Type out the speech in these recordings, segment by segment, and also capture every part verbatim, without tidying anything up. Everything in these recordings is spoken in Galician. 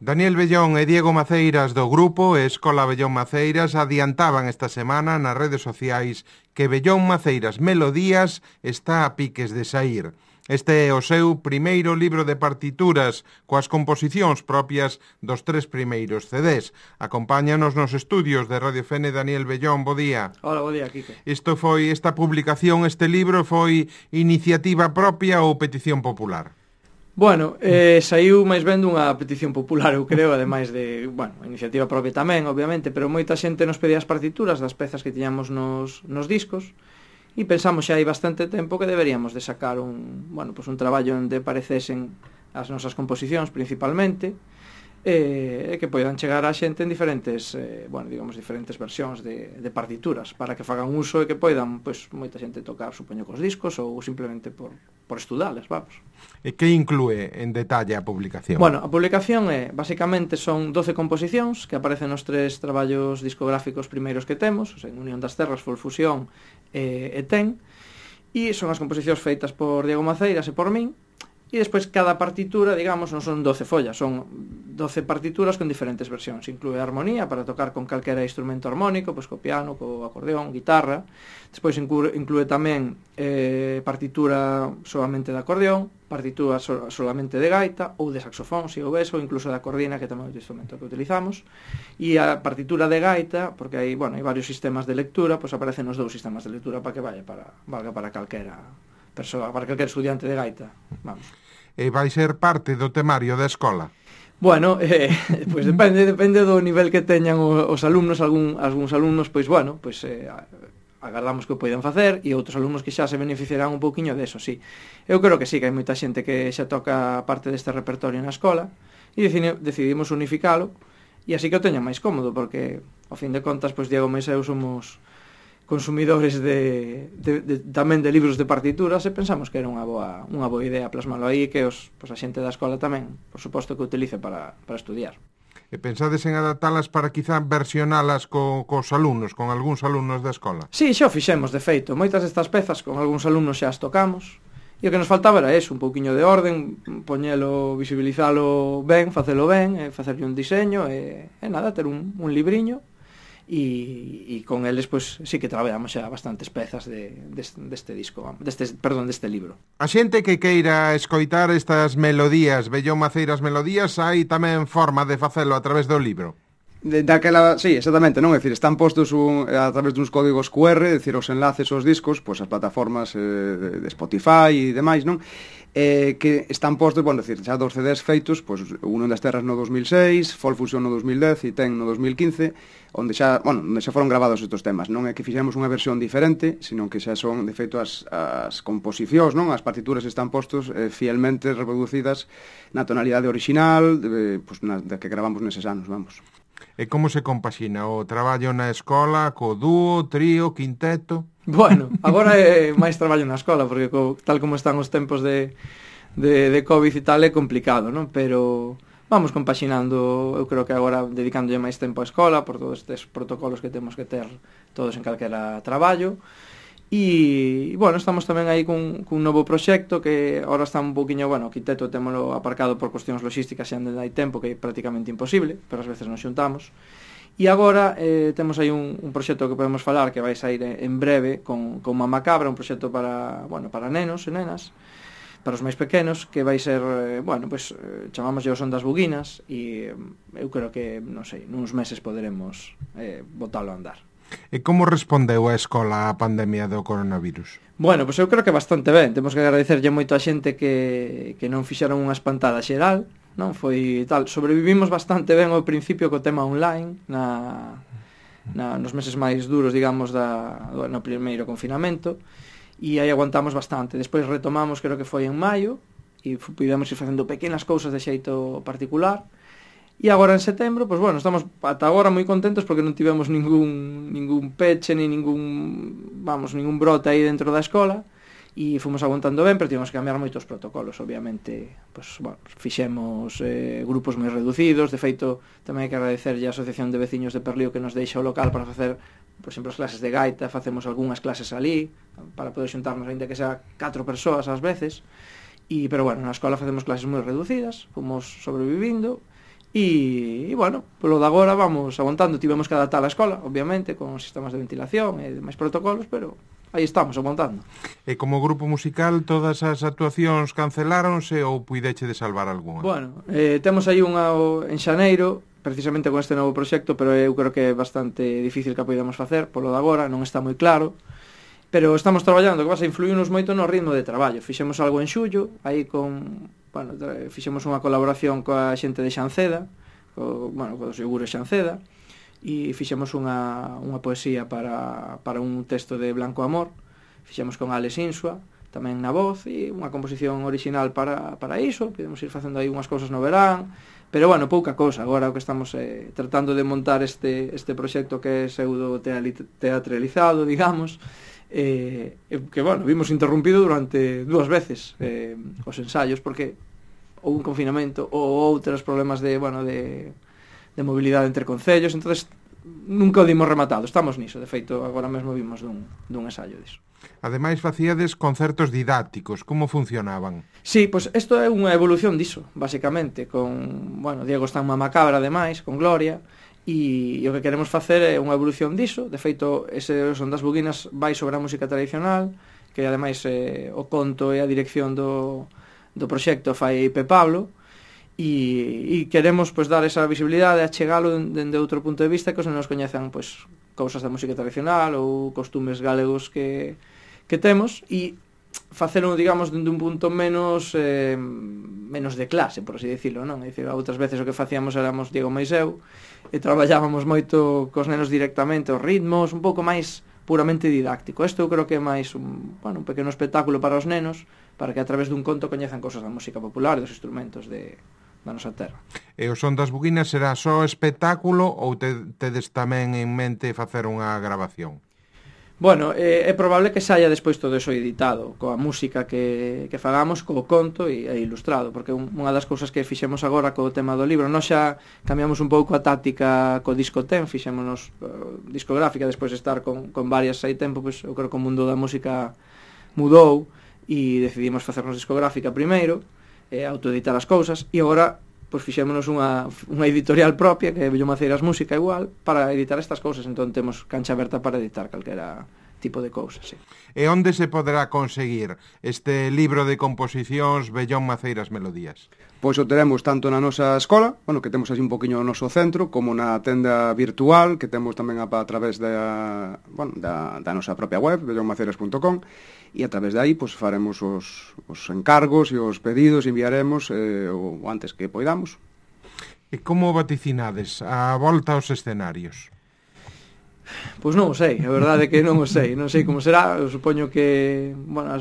Daniel Bellón e Diego Maceiras do grupo Escola Bellón Maceiras adiantaban esta semana nas redes sociais que Bellón Maceiras Melodías está a piques de saír. Este é o seu primeiro libro de partituras coas composicións propias dos tres primeiros C Ds. Acompáñanos nos estudios de Radio F N Daniel Bellón, bo día. Hola, bo día, Quique. Isto foi, esta publicación, este libro foi iniciativa propia ou petición popular? Bueno, eh, saiu máis ben dunha petición popular, eu creo, ademais de, bueno, iniciativa propia tamén, obviamente, pero moita xente nos pedía as partituras das pezas que tiñamos nos, nos discos e pensamos xa hai bastante tempo que deberíamos de sacar un, bueno, pues un traballo onde parecesen as nosas composicións principalmente e eh, que poidan chegar á xente en diferentes, eh, bueno, digamos, diferentes versións de, de partituras para que fagan uso e que poidan, pois, moita xente tocar, supoño, cos discos ou simplemente por, por estudales, vamos. E que inclúe en detalle a publicación? Bueno, a publicación é, basicamente, son doce composicións que aparecen nos tres traballos discográficos primeiros que temos, o sea, en Unión das Terras, Folfusión e, e Ten, e son as composicións feitas por Diego Maceiras e por min. E despois cada partitura, digamos, non son doce follas, son doce partituras con diferentes versións. Inclúe a armonía para tocar con calquera instrumento armónico, pois co piano, co acordeón, guitarra. Despois inclúe, inclúe tamén eh, partitura solamente de acordeón, partitura so, solamente de gaita ou de saxofón, se houvese, ou incluso de acordina, que tamén é o instrumento que utilizamos. E a partitura de gaita, porque hai, bueno, hai varios sistemas de lectura, pois aparecen os dous sistemas de lectura para que vaya para, valga para calquera persoa, para calquer estudiante de gaita. Vamos. E vai ser parte do temario da escola? Bueno, eh, pois depende, depende do nivel que teñan os alumnos, algún, algúns alumnos, pois bueno, pois eh, agardamos que o poidan facer, e outros alumnos que xa se beneficiarán un pouquiño deso, sí. Eu creo que sí, que hai moita xente que xa toca parte deste repertorio na escola, e decidimos unificalo, e así que o teñan máis cómodo, porque, ao fin de contas, pois Diego Meis e eu somos consumidores de, de, de, tamén de libros de partituras, e pensamos que era unha boa, unha boa idea plasmalo aí, que os, pues, a xente da escola tamén, por suposto, que utilice para, para estudiar. E pensades en adaptalas para quizá versionalas co, cos alumnos, con algúns alumnos da escola? Sí, xa o fixemos, de feito. Moitas destas pezas con algúns alumnos xa as tocamos, e o que nos faltaba era eso, un pouquiño de orden, poñelo, visibilizalo ben, facelo ben, e facerlle un diseño, e, e nada, ter un, un libriño, e, e con eles, pois, sí que traballamos xa bastantes pezas de, de, deste disco, deste, perdón, deste libro. A xente que queira escoitar estas melodías, Bellón Maceiras Melodías, hai tamén forma de facelo a través do libro? De, daquela, sí, exactamente, non? É dicir, están postos un, a través duns códigos Q R, é dicir, os enlaces aos discos, pois as plataformas eh, de, de Spotify e demais, non? Eh, que están postos, bueno, decir, xa dos C Ds feitos, pois Unión das Terras no dos mil seis, Folfusión no dos mil dez e Ten no dos mil quince, onde xa, bueno, onde xa foron gravados estes temas. Non é que fixemos unha versión diferente, sino que xa son, de feito, as, as composicións, non? As partituras están postos eh, fielmente reproducidas na tonalidade original, de, pois, na, de que gravamos neses anos, vamos. E como se compaxina o traballo na escola, co dúo, trío, quinteto? Bueno, agora é máis traballo na escola, porque co, tal como están os tempos de, de, de COVID e tal, é complicado, non? Pero vamos compaxinando, eu creo que agora dedicándolle máis tempo á escola, por todos estes protocolos que temos que ter todos en calquera traballo. E, bueno, estamos tamén aí cun, cun novo proxecto que agora está un poquinho, bueno, o quinteto témolo aparcado por cuestións logísticas e onde hai tempo, que é prácticamente imposible, pero ás veces nos xuntamos. E agora eh, temos aí un, un proxecto que podemos falar que vai sair en breve con, con Mamá Cabra, un proxecto para, bueno, para nenos e nenas, para os máis pequenos, que vai ser, eh, bueno, pues, eh, chamamos o Son das Buguinas, e eh, eu creo que, non sei, nuns meses poderemos eh, botalo a andar. E como respondeu a escola á pandemia do coronavirus? Bueno, pois pues eu creo que bastante ben. Temos que agradecerlle moito a xente que, que non fixeron unha espantada xeral, non foi tal. Sobrevivimos bastante ben ao principio co tema online, na, na, nos meses máis duros, digamos, da, no primeiro confinamento, e aí aguantamos bastante. Despois retomamos, creo que foi en maio, e pudemos ir facendo pequenas cousas de xeito particular. E agora en setembro, pois bueno, estamos ata agora moi contentos porque non tivemos ningún ningún peche, ni ningún, vamos, ningún brote aí dentro da escola, e fomos aguantando ben, pero tivemos que cambiar moitos protocolos, obviamente, pois, bueno, fixemos eh, grupos moi reducidos. De feito, tamén hai que agradecerlle a Asociación de Veciños de Perlío que nos deixa o local para facer, por exemplo, as clases de gaita, facemos algunhas clases ali, para poder xuntarnos, ainda que sea catro persoas ás veces, e, pero bueno, na escola facemos clases moi reducidas, fomos sobrevivindo. e, e bueno, polo de agora vamos aguantando, tivemos que adaptar a escola, obviamente, con sistemas de ventilación e demais protocolos, pero aí estamos, aguantando. E como grupo musical, todas as actuacións canceláronse ou puideche de salvar algunha? Bueno, eh, temos aí unha en xaneiro, precisamente con este novo proxecto, pero eu creo que é bastante difícil que a podamos facer, polo de agora, non está moi claro, pero estamos traballando, que vas a influirnos moito no ritmo de traballo. Fixemos algo en xullo, aí con, bueno, fixemos unha colaboración coa xente de Xanceda, co, bueno, co seguro Xanceda, e fixemos unha, unha poesía para, para un texto de Blanco Amor, fixemos con Alex Insua, tamén na voz, e unha composición original para, para iso, podemos ir facendo aí unhas cousas no verán, pero bueno, pouca cousa, agora o que estamos eh, tratando de montar este, este proxecto que é pseudo teatralizado, digamos, eh, que, bueno, vimos interrumpido durante dúas veces eh, os ensaios, porque ou un confinamento ou outros problemas de, bueno, de, de mobilidade entre concellos, entonces nunca o dimos rematado, estamos niso, de feito, agora mesmo vimos dun, dun ensaio diso. Ademais, facíades concertos didácticos, como funcionaban? Sí, pois isto é unha evolución diso, basicamente, con, bueno, Diego está en Mamacabra, ademais, con Gloria, e, e o que queremos facer é unha evolución diso. De feito, ese Son das Buguinas vai sobre a música tradicional, que ademais eh, o conto e a dirección do, do proxecto fai Pe Pablo, e, e queremos pois dar esa visibilidade, achegalo dende outro punto de vista, que os nos coñezan pois cousas da música tradicional ou costumes galegos que, que temos, e facelo, digamos, dende un punto menos eh, menos de clase, por así dicilo, non? É dicir, outras veces o que facíamos éramos Diego máis eu, e traballábamos moito cos nenos directamente os ritmos, un pouco máis puramente didáctico. Isto eu creo que é máis un, bueno, un pequeno espectáculo para os nenos, para que a través dun conto coñezan cousas da música popular e dos instrumentos de, da nosa terra. E o Son das Buguinas será só espectáculo ou te, tedes tamén en mente facer unha grabación? Bueno, é, é probable que saia despois todo eso editado, coa música que, que fagamos, co conto e, e ilustrado, porque un, unha das cousas que fixemos agora co tema do libro, nós xa cambiamos un pouco a táctica co disco ten, fixémonos uh, discográfica, despois de estar con, con varias hai tempo, pois eu creo que o mundo da música mudou e decidimos facernos discográfica primeiro, eh, autoeditar as cousas, e agora pois fixémonos unha, unha editorial propia, que é Bellón Maceiras Música igual, para editar estas cousas, entón temos cancha aberta para editar calquera tipo de cousas, sí. E onde se poderá conseguir este libro de composicións Bellón Maceiras Melodías? Pois o teremos tanto na nosa escola, bueno, que temos así un poquinho no noso centro, como na tenda virtual, que temos tamén a, a través da, bueno, da, da nosa propia web, bellón maceiras punto com, e a través de aí pois, faremos os, os encargos e os pedidos, enviaremos eh, o antes que poidamos. E como vaticinades a volta aos escenarios? Pois non o sei, a verdade é que non o sei, non sei como será, eu supoño que, bueno,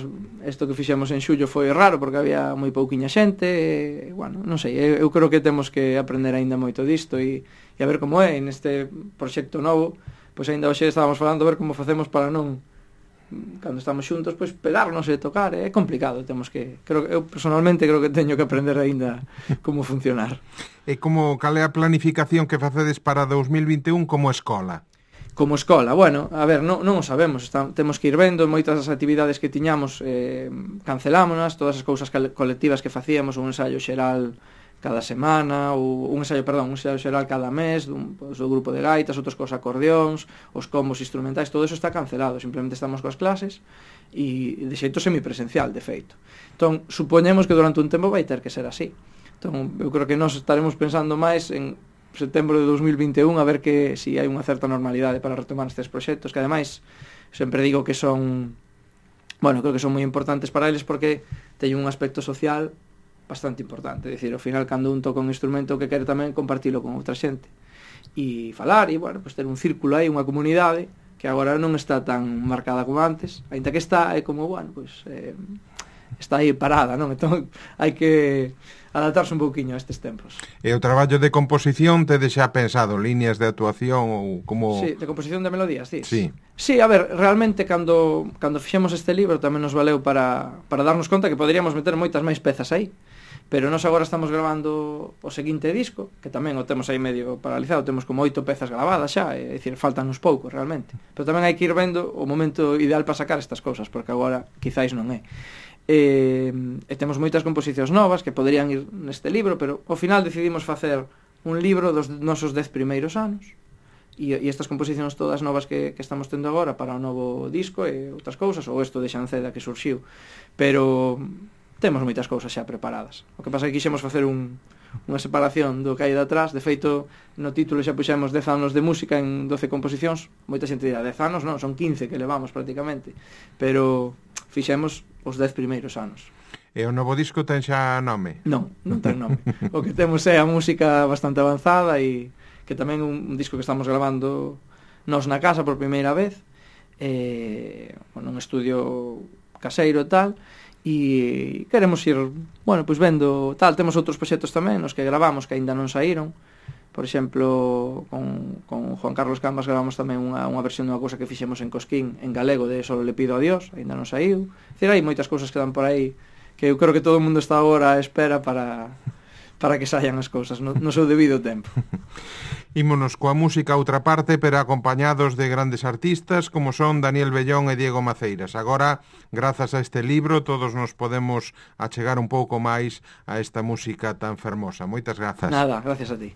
isto que fixemos en xullo foi raro porque había moi pouquiña xente, e, bueno, non sei, eu, eu creo que temos que aprender aínda moito disto e, e a ver como é neste proxecto novo, pois aínda hoxe estábamos falando a ver como facemos para non, cando estamos xuntos, pois pegarnos e tocar, é complicado, temos que, creo, eu personalmente creo que teño que aprender aínda como funcionar. E como, cal é a planificación que facedes para dous mil vinte e un como escola? Como escola, bueno, a ver, non, non o sabemos, está, temos que ir vendo, moitas das actividades que tiñamos eh, cancelámonas, todas as cousas colectivas que facíamos, un ensaio xeral cada semana, ou un ensaio, perdón, un ensaio xeral cada mes, dun, pues, do grupo de gaitas, outros cos acordeóns, os combos instrumentais, todo eso está cancelado, simplemente estamos coas clases, e de xeito semipresencial, de feito. Entón, supoñemos que durante un tempo vai ter que ser así. Entón, eu creo que nós estaremos pensando máis en setembro de dous mil vinte e un a ver que si hai unha certa normalidade para retomar estes proxectos, que ademais sempre digo que son, bueno, creo que son moi importantes para eles porque teñen un aspecto social bastante importante, é dicir, ao final cando un toca un instrumento que quere tamén compartilo con outra xente e falar, e bueno, pues ter un círculo aí, unha comunidade que agora non está tan marcada como antes, aínda que está, é como, bueno, pues eh, está aí parada, non? Entón hai que adaptarse un pouquiño a estes tempos. E o traballo de composición tedes xa pensado, líneas de actuación ou como... Sí, de composición de melodías, sí. Sí. Sí, a ver, realmente cando cando fixemos este libro tamén nos valeu para para darnos conta que poderíamos meter moitas máis pezas aí. Pero nós agora estamos grabando o seguinte disco, que tamén o temos aí medio paralizado, temos como oito pezas gravadas xa, é dicir, faltan uns poucos realmente. Pero tamén hai que ir vendo o momento ideal para sacar estas cousas, porque agora quizáis non é. E, e temos moitas composicións novas que poderían ir neste libro, pero ao final decidimos facer un libro dos nosos dez primeiros anos, e, e estas composicións todas novas que, que estamos tendo agora para o novo disco e outras cousas, ou isto de Xanceda que surxiu, pero temos moitas cousas xa preparadas. O que pasa é que quixemos facer un, unha separación do que hai de atrás. De feito, no título xa puxemos dez anos de música en doce composicións. Moita xente dirá, dez anos non, son quince que levamos prácticamente, pero fixemos os dez primeiros anos. E o novo disco ten xa nome? Non, non ten nome. O que temos é a música bastante avanzada e que tamén un, un disco que estamos grabando nós na casa por primeira vez, eh, nun estudio caseiro e tal, e queremos ir, bueno, pois vendo tal. Temos outros proxectos tamén nos que gravamos que aínda non saíron. Por exemplo, con, con Juan Carlos Cambas gravamos tamén unha, unha versión dunha cousa que fixemos en Cosquín en galego de Solo le pido a Dios, aínda non saiu. É dicir, hai moitas cousas que dan por aí que eu creo que todo o mundo está agora a espera para para que saian as cousas no, no seu debido tempo. Ímonos coa música a outra parte, pero acompañados de grandes artistas como son Daniel Bellón e Diego Maceiras. Agora, grazas a este libro, todos nos podemos achegar un pouco máis a esta música tan fermosa. Moitas grazas. Nada, gracias a ti.